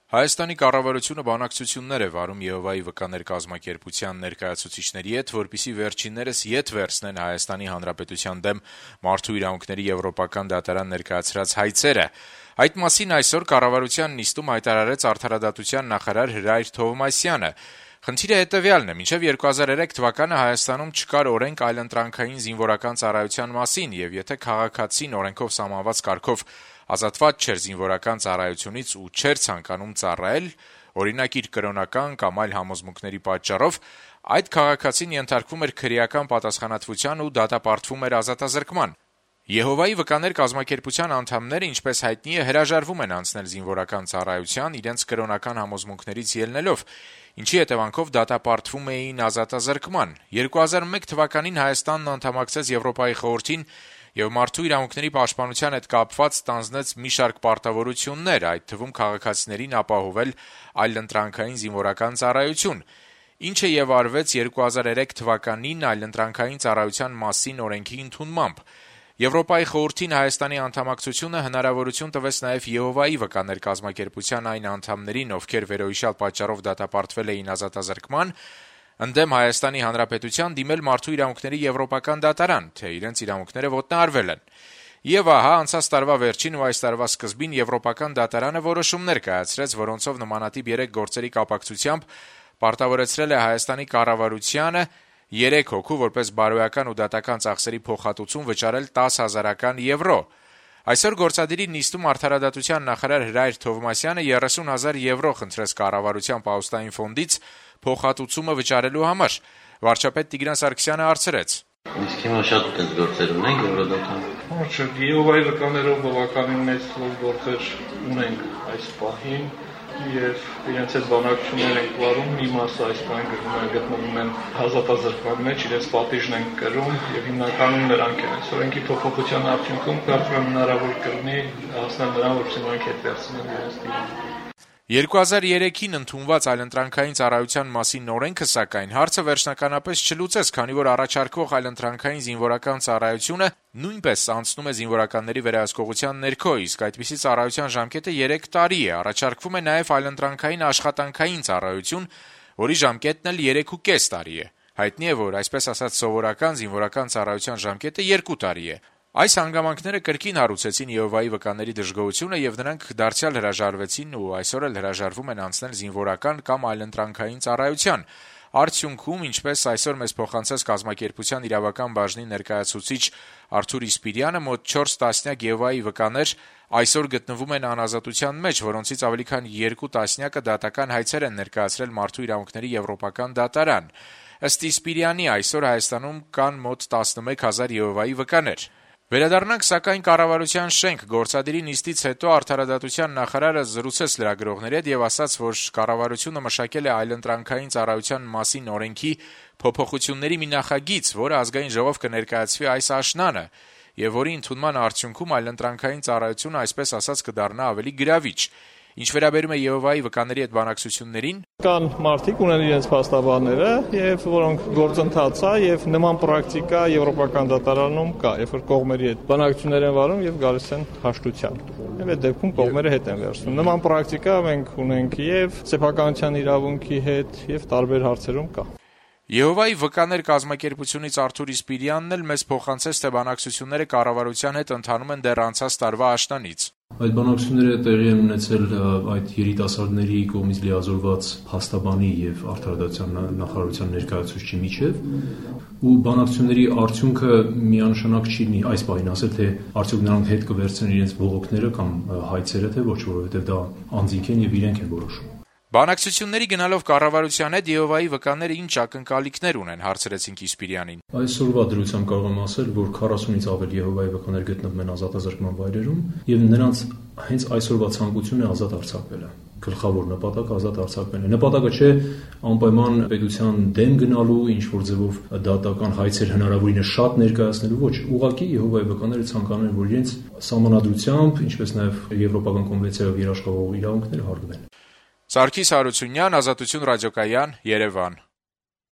Հայաստանի կառավարությունը բանակցություններ է վարում Եհովայի վկաներ կազմակերպության ներկայացուցիչների հետ, որպեսզի վերջիններս ետ վերցնեն Հայաստանի Հանրապետության դեմ մարդու իրավունքների եվրոպական դատարան ներկայացրած հայցերը։ Այդ մասին այսօր կառավարության նիստում հայտարարեց արդարադատության նախարար Հրայր Թովմասյանը։ Խնդիրը հետևյալն է. մինչև 2003 թվականը Հայաստանում չկար օրենք այլընտրանքային զինվորական ծառայության մասին, եւ եթե քաղաքացին օրենքով սահմանված կարգով ազատված չէր զինվորական ծառայությունից ու չէր ցանկանում ծառայել, օրինակ իր կրոնական կամ այլ համոզմունքների պատճառով, այդ քաղաքացին ենթարկվում էր քրեական պատասխանատվության ու դատապարտվում էր ազատազրկման։ Եհովայի վկաներ կազմակերպության անդամները, ինչպես հայտնի է, հրաժարվում են անցնել զինվորական ծառայության իրենց կրոնական համոզմունքներից ելնելով, ինչի հետևանքով դատապարտվում էին ազատազրկման։ 2001 թվականին Հայաստանն անդամակցեց Եվրոպայի խորհրդին եւ մարդու իրավունքների պաշտպանության հետ կապված ստանձնեց մի շարք պարտավորություններ, այդ թվում քաղաքացիներին ապահովել այլընտրանքային զինվորական ծառայություն, ինչը եւ արվեց 2003 թվականին այլընտրանքային ծառայության մասին օրենքի ընդունմամբ։ Եվրոպայի խորհրդին Հայաստանի անդամակցությունը հնարավորություն տվեց նաև Եհովայի վկաներ կազմակերպության այն անդամներին, ովքեր վերոհիշյալ պատճառով դատապարտվել էին ազատազրկման, ընդդեմ Հայաստանի Հանրապետության դիմել մարդու իրավունքների եվրոպական դատարան, թե իրենց իրավունքները ոտնահարվել են։ Եվ ահա անցած տարվա վերջին ու այս տարվա սկզբին եվրոպական դատարանը որոշումներ կայացրեց, որոնցով նմանատիպ 3 գործերի կապակցությամբ պարտավորեցրել է Հայաստանի կառավարությանը 3 հոգու որպես բարոյական ու դատական ծախսերի փոխհատուցում վճարել 10,000 եվրո։ Այսօր գործադիրի նիստում արդարադատության նախարար Հրայր Թովմասյանը 30,000 եվրո խնդրեց կառավարության պահուստային ֆոնդից փոխհատուցումը վճարելու համար։ Վարչապետ Տիգրան Սարգսյանը հարցրեց. Իսկ հիմա շատ այդպես գործեր ունենք Եվրոդատան։ Ոչ, Եհովայի վկաներով բավականին մեծ գործեր ունենք այս պահին եւ իրենց այդ բանակցություններ են վարում, մի մասը այս բանը գտնվում են ազատազրկման մեջ, իրենց պատիժն են կրում եւ հիմնականում նրանք են։ Օրենքի փոփոխության արդյունքում կարծում եմ հնարավոր կլինի հասնել նրան, որ նրանք հետ վերցնեն իրենց դիմաց։ 2003-ին ընդունված այլընտրանքային ծառայության մասին օրենքը, սակայն, հարցը վերջնականապես չլուծեց, քանի որ առաջարկվող այլընտրանքային զինվորական ծառայությունը նույնպես անցնում է զինվորականների վերահսկողության ներքո, իսկ այդպիսի ծառայության ժամկետը 3 տարի է։ Առաջարկվում է նաև այլընտրանքային աշխատանքային ծառայություն, որի ժամկետն էլ 3.5 տարի է։ Հայտնի է, որ այսպես ասած սովորական զինվորական ծառայության ժամկետը 2 տարի է։ Այս հանգամանքները կրկին հարուցեցին Եհովայի վկաների դժգոհությունը եւ նրանք դարձյալ հրաժարվեցին ու այսօր էլ հրաժարվում են անցնել զինվորական կամ այլընտրանքային ծառայության։ Արդյունքում, ինչպես այսօր մեզ փոխանցեց կազմակերպության իրավական բաժնի ներկայացուցիչ Արթուր Իսպիրյանը, մոտ 4 տասնյակ Եհովայի վկաներ այսօր գտնվում են անազատության մեջ, որոնցից ավելի քան 2 տասնյակը դատական հայցեր են ներկայացրել մարդու իրավունքների եվրոպական դատարան։ Ըստ Իսպիրյանի, այսօր Հայաստանում կան մոտ 11,000 Եհովայի վկաներ։ Վերադառնանք սակայն կառավարության շենք։ Գործադիրի նիստից հետո արդարադատության նախարարը զրուցեց լրագրողների հետ եւ ասաց, որ կառավարությունը մշակել է այլընտրանքային ծառայության մասին օրենքի փոփոխությունների մի նախագիծ, որը ազգային ժողով կներկայացվի այս աշնանը եւ որի ընդունման արդյունքում այլընտրանքային ծառայությունը այսպես ասած կդառնա ավելի գրավիչ։ Ինչ վերաբերում է Եհովայի վկաների հետ բանակցություններին, կան մարդիկ ունեն իրենց փաստաբանները եւ որոնք գործընթաց է եւ նման պրակտիկա եվրոպական դատարանում կա, երբ որ կողմերի հետ բանակցություններ են վարում եւ գալիս են հաշտության։ Եվ այդ դեպքում կողմերը հետ են վերցնում։ Նման պրակտիկա մենք ունենք եւ սեփականության իրավունքի հետ եւ տարբեր հարցերում կա։ Եհովայի վկաներ կազմակերպությունից Արթուր Իսպիրյանն էլ մեզ փոխանցեց, թե բանակցությունները կառավարության հետ ընթանում են դեռ անցած տարվա աշնանից։ Այդ բանակցությունները տեղի են ունեցել այդ երիտասարդների կողմից լիազորված փաստաբանի եւ արդարադատության նախարարության ներկայացուցչի միջեւ ու բանակցությունների արդյունքը միանշանակ չի լինի այս բանին ասել, թե արդյոք նրանք հետ կվերցնեն իրենց բողոքները կամ հայցերը, թե ոչ, որովհետեւ դա անձինք են եւ իրենք են որոշում։ Բանակցությունների գնալով կառավարության հետ Եհովայի վկաները ինչ ակնկալիքներ ունեն, հարցրեցինք Իսպիրյանին։ Այսօրվա դրությամբ կարող եմ ասել, որ 40-ից ավել Եհովայի վկաներ գտնվում են ազատազրկման վայրերում եւ նրանց հենց այսօրվա ցանկությունն է ազատ արձակվելը։ Գլխավոր նպատակը ազատ արձակվելն է։ Նպատակը չէ անպայման պետության դեմ գնալու, ինչ որ ձևով դատական հայցեր հնարավորինս շատ ներկայացնելու, ոչ, ուղղակի Եհովայի վկաները ցանկանում են, որ իրենց սահմանադրությամբ, ինչպես նաեւ Եվրոպական կոնվենցիայով երաշխավորող իրավունքները հարգվեն։ Սարգիս Հարությունյան, Ազատություն ռադիոկայան, Երևան։